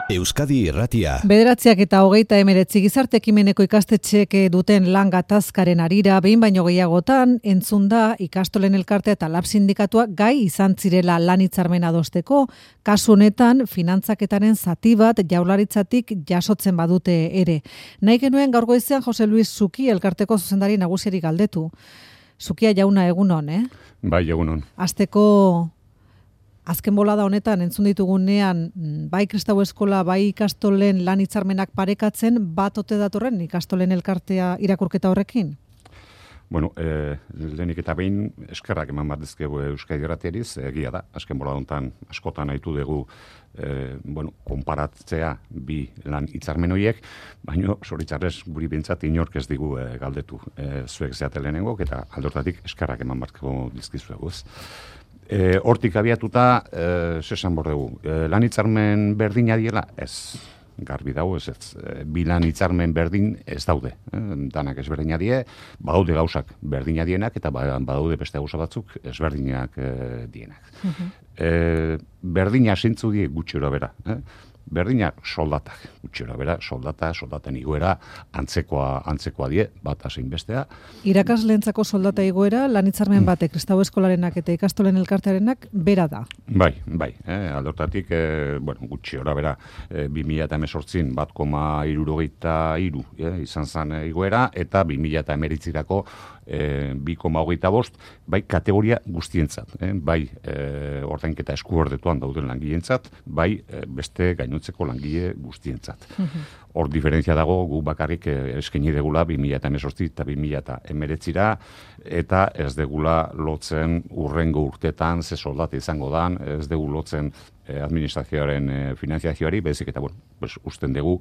Euskadi Irratia. 9:29 gizarte ekimeneko ikastetxeek duten lan gatazkaren harira behin baino gehiagotan entzun da ikastolen elkartea eta lab sindikatua gai izan zirela lan hitzarmena adosteko, kasu honetan finantzaketaren zati bat Jaurlaritzatik jasotzen badute ere. Nahi genuen gaur goizean Jose Luis Zuki elkarteko zuzendari nagusiari galdetu. Zukia jauna egunon, Bai, egunon. Hasteko azken bolada honetan entzun ditugunean bai Kristau Eskola, bai ikastolen lan hitzarmenak parekatzen, bat ote datorren ikastolen elkartea irakurketa horrekin? Bueno, lehenik eta behin eskerrak eman bat dizkegu Euskadi Irratiariz, egia da, azken bolada honetan askotan nahitu dugu konparatzea bi lan hitzarmen horiek, baina zoritxarrez guri bintzat inork ez digu galdetu zuek zeate lehenengok, eta aldortatik eskerrak eman batko dizkizueguz. Hortik abiatuta, zesan bordugu, lan hitzarmen berdina diela, ez, garbi dago, ez. Bi lan hitzarmen berdin ez daude. Danak ezberdina die, badaude gauzak berdina dienak, eta badaude beste gauza batzuk ezberdinak dienak. Berdina zintzu die gutxura bera. Berdina soldatak, gutxura bera, soldaten igoera, antzekoa die, bat zein bestea. Irakasleentzako soldata igoera, lan hitzarmen batek, Kristau Eskolarenak eta ikastolen elkartearenak bera da. Bai, aldortatik, gutxura bera, 2018 1,73 izan zen igoera, eta 2019 2,25, bai kategoria guztientzat, bai ordainketa eskuordetuan dauden langileentzat, bai beste gainontzeko langile guztientzat. Hor diferentzia dago, gu bakarrik eskaini degula 2018 eta 2019 eta ez degula lotzen urrengo urtetan ze soldata izango dan, ez dugu lotzen administrazioaren finanziazioari, bezik eta usten dugu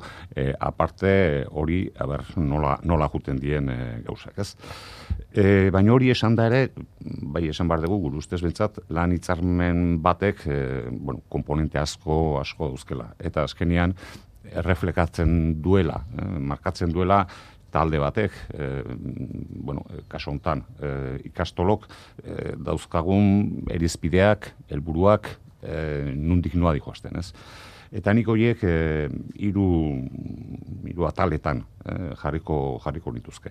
aparte hori nola juten dien gauzak, ez? Baina hori esan da ere, bai esan behar dugu, gure ustez bentsat, lan hitzarmen batek komponente asko dauzkela. Eta azkenean, erreflekatzen duela, markatzen duela, talde batek, kasu honetan, ikastolok, dauzkagun erizpideak, helburuak, nundik noa dihoazten, ez? Eta nik horiek hiru ataletan jarriko nituzke.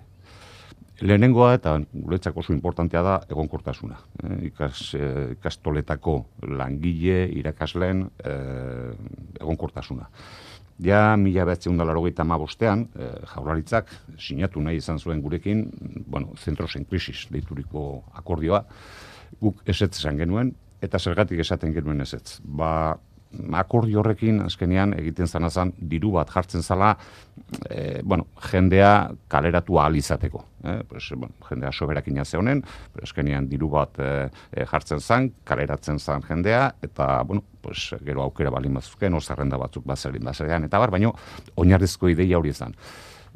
Lehenengoa eta guretzako oso importantea da egonkortasuna. Ikastoletako langile, irakasleen egonkortasuna. Ja, 1985 Jaurlaritzak sinatu nahi izan zuen gurekin, zentros en krisis deituriko akordioa, guk ezetz esan genuen, eta zergatik esaten genuen ezetz. Akordio horrekin azkenean egiten zanazan diru bat jartzen zala jendea kaleratu ahal izateko. Jendea soberakina zehonen, azkenean diru bat jartzen zan, kaleratzen zan jendea, eta gero aukera balin bazuzken, zerrenda batzuk bazerean, eta baina oinarrizko ideia hori izan.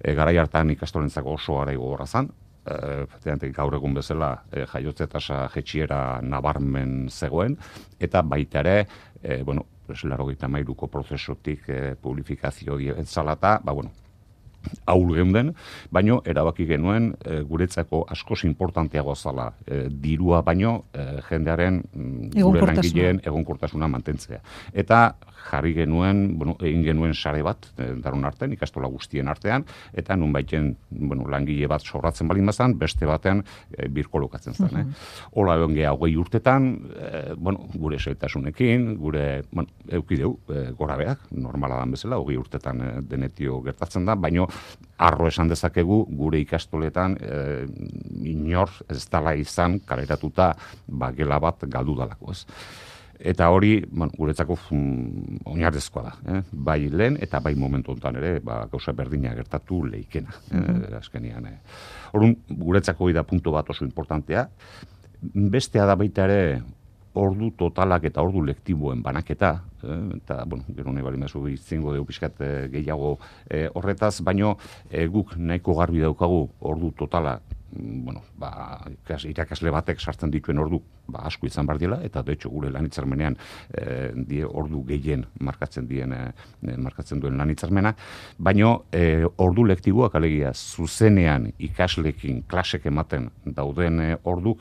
Garai hartan ikastolentzako oso garai gogorra zan, gaur egun bezala jaiotze tasa jetxiera nabarmen zegoen, eta baita ere, 93ko prozesutik publifikazio dientzalata, ahul geunden, baino erabaki genuen guretzako askoz importanteagoa zala dirua baino jendearen gure langileen egonkortasuna mantentzea. Eta jarri genuen, egin genuen sare bat, daron artean, ikastola guztien artean, eta nun baiten langile bat sobratzen balin bazan, beste batean birkolokatzen zen. Hola egon geha 20 urtetan, gure zaitasunekin, gure eukideu gora beak, normala dan bezala, 20 urtetan denetio gertatzen da, baino arro esan dezakegu gure ikastoletan inor ez dala izan kaleratuta gela bat galdu dalako, ez. Eta hori, guretzako oinarrizkoa da. Bai lehen eta bai momentu honetan ere, gauza berdina gertatu leikena. Azkenean. Orduan, guretzako hori da puntu bat oso importantea. Bestea da baita ere, ordu totalak eta ordu lektiboen banaketa, eta, gero nahi bali mezu izango dugu pixkat gehiago horretaz, baino guk nahiko garbi daukagu ordu totala, irakasle batek sartzen dituen ordu asko izan behar dela, eta de hecho gure lan hitzarmenean ordu gehien markatzen duen lan hitzarmena, baino ordu lektiboak alegia zuzenean ikaslekin klasek ematen dauden orduk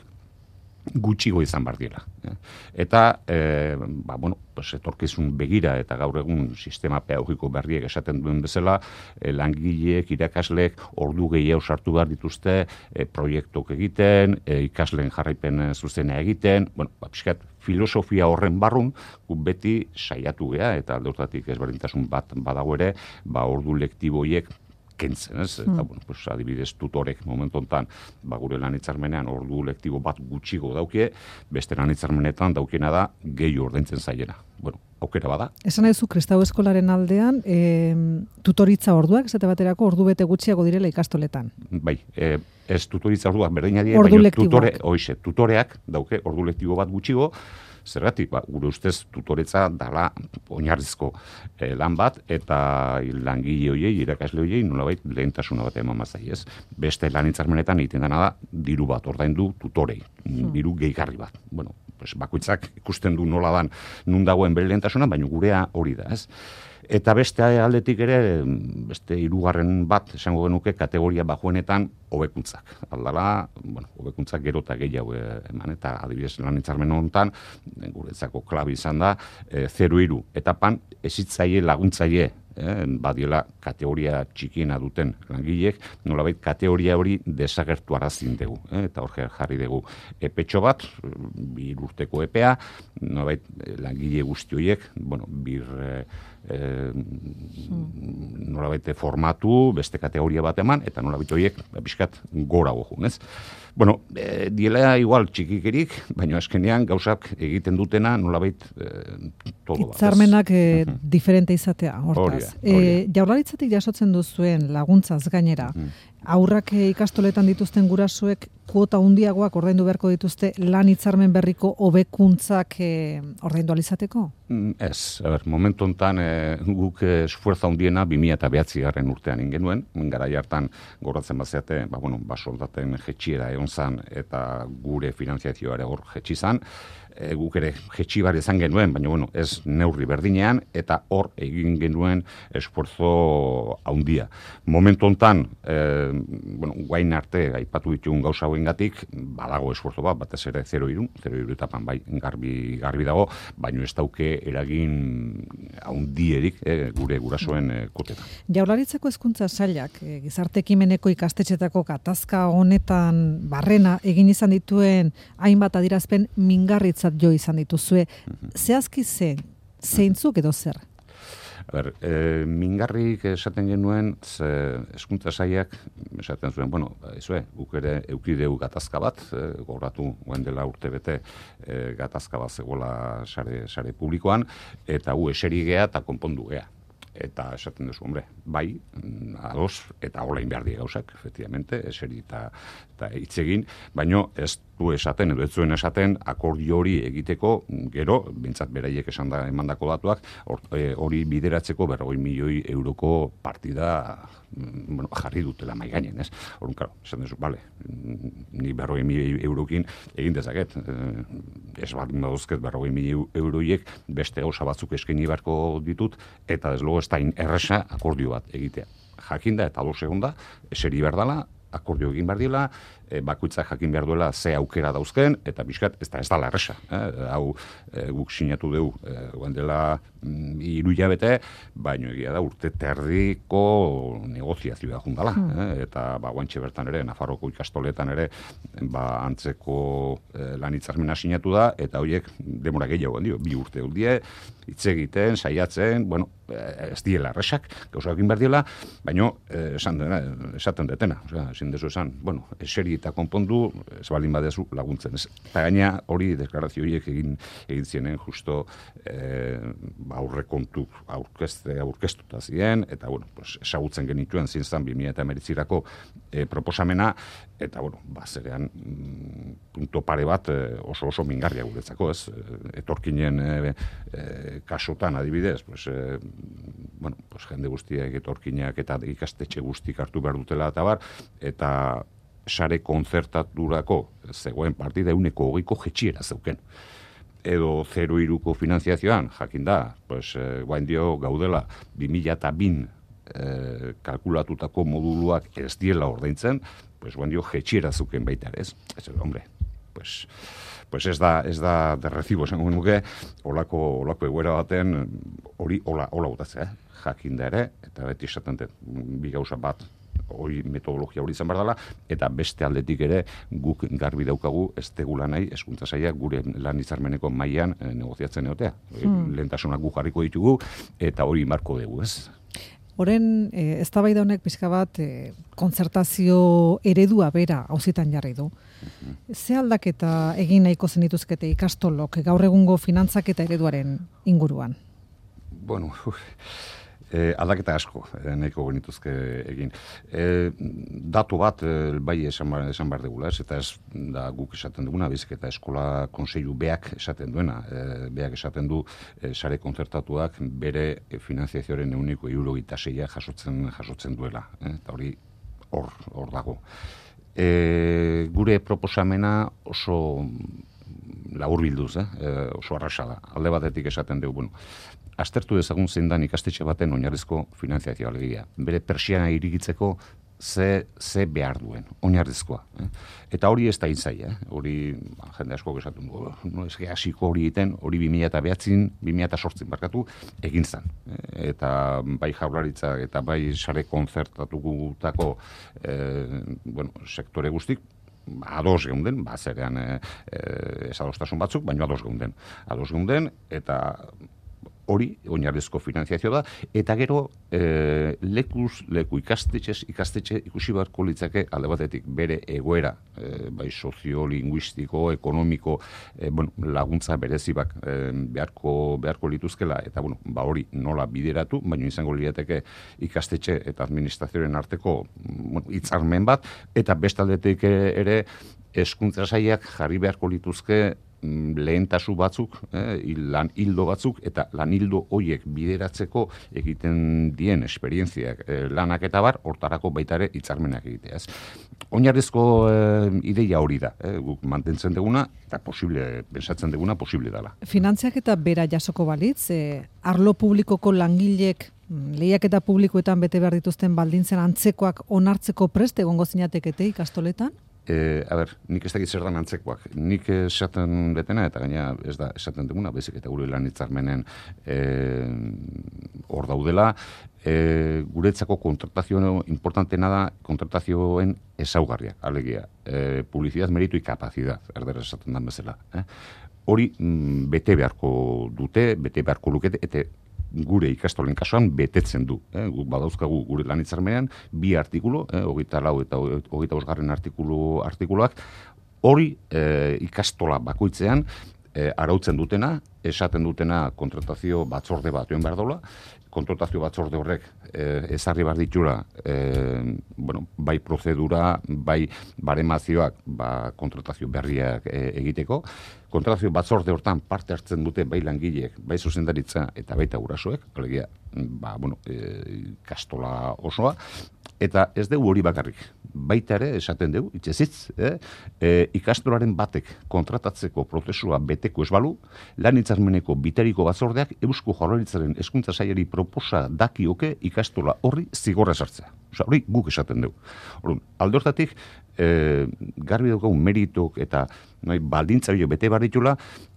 gutxigo izan bar diela. Eta, etorkizun begira eta gaur egun sistema pedagogiko berriek esaten duen bezala, langileek, irakasleek ordu gehiago sartu behar dituzte, proiektuk egiten, ikasleen jarraipen zuzena egiten, pixkat, filosofia horren barrun, beti saiatu gea, eta alde hortatik ezberdintasun bat badago ere, ordu lektiboiek kentzen, ez? Eta, adibidez, tutorek momentu honetan, gure lan hitzarmenean ordu lektibo bat gutxigo daukie, beste lan hitzarmenetan daukiena da gehi ordaintzen zaiena. Aukera bada. Esan nahi zu, Kristau Eskolaren aldean, tutoritza orduak, esate baterako ordu bete gutxiago direla ikastoletan. Bai, ez tutoritza orduak berdina die, baina tutoreak dauke ordu lektibo bat gutxigo, zergatik, gure ustez tutoretza dala oinarrizko lan bat, eta langile hoiei, irakasle hoiei, nolabait lehentasuna bat eman mazai, ez? Beste lan hitzarmenetan egiten dena da, diru bat ordaindu tutorei, diru gehigarri bat. Bakoitzak ikusten du nola dan nun dagoen bere lehentasuna, baina gurea hori da, ez? Eta beste aldetik ere, beste hirugarren bat, esango genuke, kategoria bajuenetan hobekuntzak. Aldala, hobekuntzak gero eta gehiago eman, eta adibidez lan hitzarmen honetan, guretzako klabi izan da, 0-3 etapan ezitzaile laguntzaile, badiela kategoria txikiena duten langileek, nolabait kategoria hori desagertu arazin dugu, eta hor jarri dugu epetxo bat, 2 urteko epea, nolabait langile guzti horiek, nolabait formatu, beste kategoria bat eman, eta nolabait horiek pixkat gora gojun, ez? Diela igual txikikerik, baina azkenean gauzak egiten dutena nolabait todo bat. Hitzarmenak diferente izatea, hortaz. Jaurlaritzatik jasotzen duzuen laguntzaz gainera, aurrak ikastoletan dituzten gurasoek kuota handiagoak ordaindu beharko dituzte lan hitzarmen berriko hobekuntzak ordaindu ahal izateko? Ez, momentu honetan guk esfuerza handiena 2009 urtean ingenuen, garai hartan goratzen bazeate, soldaten jetxiera egon zan eta gure finanziazioa ere hor jetxi zan, guk ere jetxi bar izan genuen, baina ez neurri berdinean, eta hor egin genuen esfuerzo handia. Momentu honetan, guain arte aipatu ditugun gauza hauengatik, badago esfuerzo bat, batez ere 0-3 etapan bai garbi dago, baina ez dauke eragin handierik gure gurasoen kotetan. Jaurlaritzako hezkuntza sailak gizarte ekimeneko ikastetxetako gatazka honetan barrena egin izan dituen hainbat adierazpen mingarritzat jo izan dituzue. Zehazki zeintzuk edo zer? Mingarrik esaten genuen, hezkuntza sailak esaten zuen, guk ere eukideu gatazka bat, gogoratu guen dela urtebete gatazka bat zegoela sare publikoan, eta eseri gea eta konpondu gea. Eta esaten duzu, bai, ados, eta olain behar die gauzak, efectivamente, eseri eta hitzegin, baino ez du esaten, edo ez zuen esaten, akordio hori egiteko, gero, bintzat beraiek emandako datuak, hori bideratzeko 40 milioi euroko partida jarri dutela mai gainen, ez? Horun, karo, esan duzu, ni 40 milioi eurokin egin dezaket, ez baldin baduzket 40 milioi euroiek beste gauza batzuk eskaini beharko ditut, eta ez logo ez da erresa akordio bat egitea. Jakinda eta ados egonda, eseri behar dela, akordio egin behar dela, bakoitzak jakin behar duela ze aukera dauzken, eta bizkat ez dala erresa. Hau guk sinatu dugu guen dela 3 hilabete, baina egia da urte terdiko negoziazioa jundala. Eta guantxe bertan ere, Nafarroko ikastoletan ere, antzeko lan hitzarmena sinatu da, eta horiek demora gehiago dio, 2 urte die, hitz egiten, saiatzen, ez diela erresak, gauzak egin behar diela, baina esaten detena. Ezin dezu esan, eseri eta konpondu, ez baldin badezu laguntzen. Eta gaina hori deklarazio horiek egin zienen justo aurrekontu aurkeztuta ziren, eta esagutzen genituen zintzan 2019 proposamena, eta zerean punto pare bat oso mingarria guretzako, ez? Etorkinen kasotan adibidez, jende guztiak etorkinak eta ikastetxe guztik hartu behar dutela eta bar, eta sare konzertaturako zegoen partida 120ko jetxiera zeuken. Edo 0-3ko finanziazioan, jakin da, guain dio gaudela 2002 kalkulatutako moduluak ez diela ordaintzen, guain dio jetxiera zeuken baita, ez? Ez, pues ez da de recibo, esango nuke, olako egoera baten hori hola botatzea, jakinda ere, eta beti esaten dut, bi gauza bat, hori metodologia hori izan behar dela, eta beste aldetik ere guk garbi daukagu ez tegula nahi hezkuntza sailak gure lan hitzarmeneko mailan negoziatzen egotea. Lehentasunak guk jarriko ditugu, eta hori marko dugu, ez? Horren, eztabaida honek pixka bat kontzertazio eredua bera auzitan jarri du. Ze aldaketa egin nahiko zenituzkete ikastolok gaur egungo finantzak eta ereduaren inguruan? Bueno, aldaketa asko nahiko genituzke egin. Datu bat bai esan behar dugula, eta ez da guk esaten duguna, baizik eta eskola kontseilu beak esaten duena. Beak esaten du sare kontzertatuak bere finanziazioaren 176 jasotzen duela. Eta hori hor dago. Gure proposamena oso laburbilduz, oso arrasa da. Alde batetik esaten dugu, aztertu dezagun zein dan ikastetxe baten oinarrizko finanziazioa alegia. Bere pertsiana irigitzeko ze behar duen, oinarrizkoa. Eta hori ez da intzaia. Hori jende asko esatu du, no ez hasiko hori egiten, hori 2008 barkatu egin zen. Eta bai Jaurlaritza eta bai sare kontzertatutako sektore guztik, ados geunden, zerean ez adostasun batzuk, baina ados geunden, eta hori oinarrizko finanziazio da, eta gero lekuz leku ikastetxe ikusi beharko litzake alde batetik bere egoera, bai soziolinguistiko, ekonomiko, laguntza berezibak beharko lituzkela, eta hori nola bideratu, baina izango lirateke ikastetxe eta administrazioaren arteko hitzarmen bat, eta bestaldetik ere hezkuntza sailak jarri beharko lituzke lehentasu batzuk, lan hildo batzuk, eta lan hildo horiek bideratzeko egiten dien esperientziak lanak eta bar, hortarako baita ere hitzarmenak egitea. Oinarrizko ideia hori da, guk mantentzen duguna, eta pensatzen duguna posible dela. Finantziak eta bera jasoko balitz, arlo publikoko langilek lehiaketa publikoetan bete behar dituzten baldintzen antzekoak onartzeko prest egongo zinatekete ikastoletan? Nik ez dakit zer dan antzekoak. Nik esaten betena, eta gaina ez da esaten duguna, baizik eta gure lan hitzarmenen hor daudela, guretzako kontratazio importantena da kontratazioen ezaugarriak, alegia. Publicidad, meritu y capacidad, erderaz esaten dan bezala. Hori bete beharko dute, bete beharko lukete, eta gure ikastolen kasuan betetzen du. Guk badauzkagu gure lan hitzarmenean 2 artikulu, 24 eta 25 artikuluak, hori ikastola bakoitzean arautzen dutena, esaten dutena kontratazio batzorde bat behar dola, kontratazio batzorde horrek ezarri behar ditula bai prozedura, bai baremazioak kontratazio berriak egiteko. Kontratazio batzorde hortan parte hartzen dute bai langileek, bai zuzendaritza eta baita gurasoek, alegia, kastola osoa, eta ez dugu hori bakarrik. Baita ere, esaten dugu, itxezitz, ikastolaren batek kontratatzeko prozesua beteko esbalu, lan hitzarmeneko bitariko batzordeak Eusko Jaurlaritzaren hezkuntza sailari proposa dakioke ikastola horri zigorra sartzea. Hori guk esaten dugu. Alde hortatik, garbi daukagu meritok eta baldintza bilo bete behar ditula,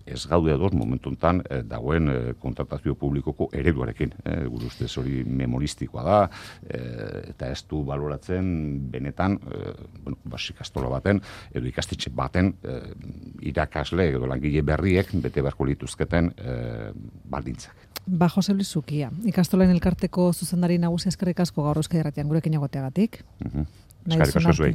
ez gaude ados momentu honetan dagoen kontratazio publikoko ereduarekin. Gure ustez hori memoristikoa da, eta ez du baloratzen benetan, ikastola baten, edo ikastetxe baten irakasle edo langile berriek bete beharko lituzketen baldintzak. Jose Luis Zukia, ikastolen elkarteko zuzendari nagusia eskerrik asko gaur Euskadi Irratian gurekin egoteagatik. Eskerrik asko zuei.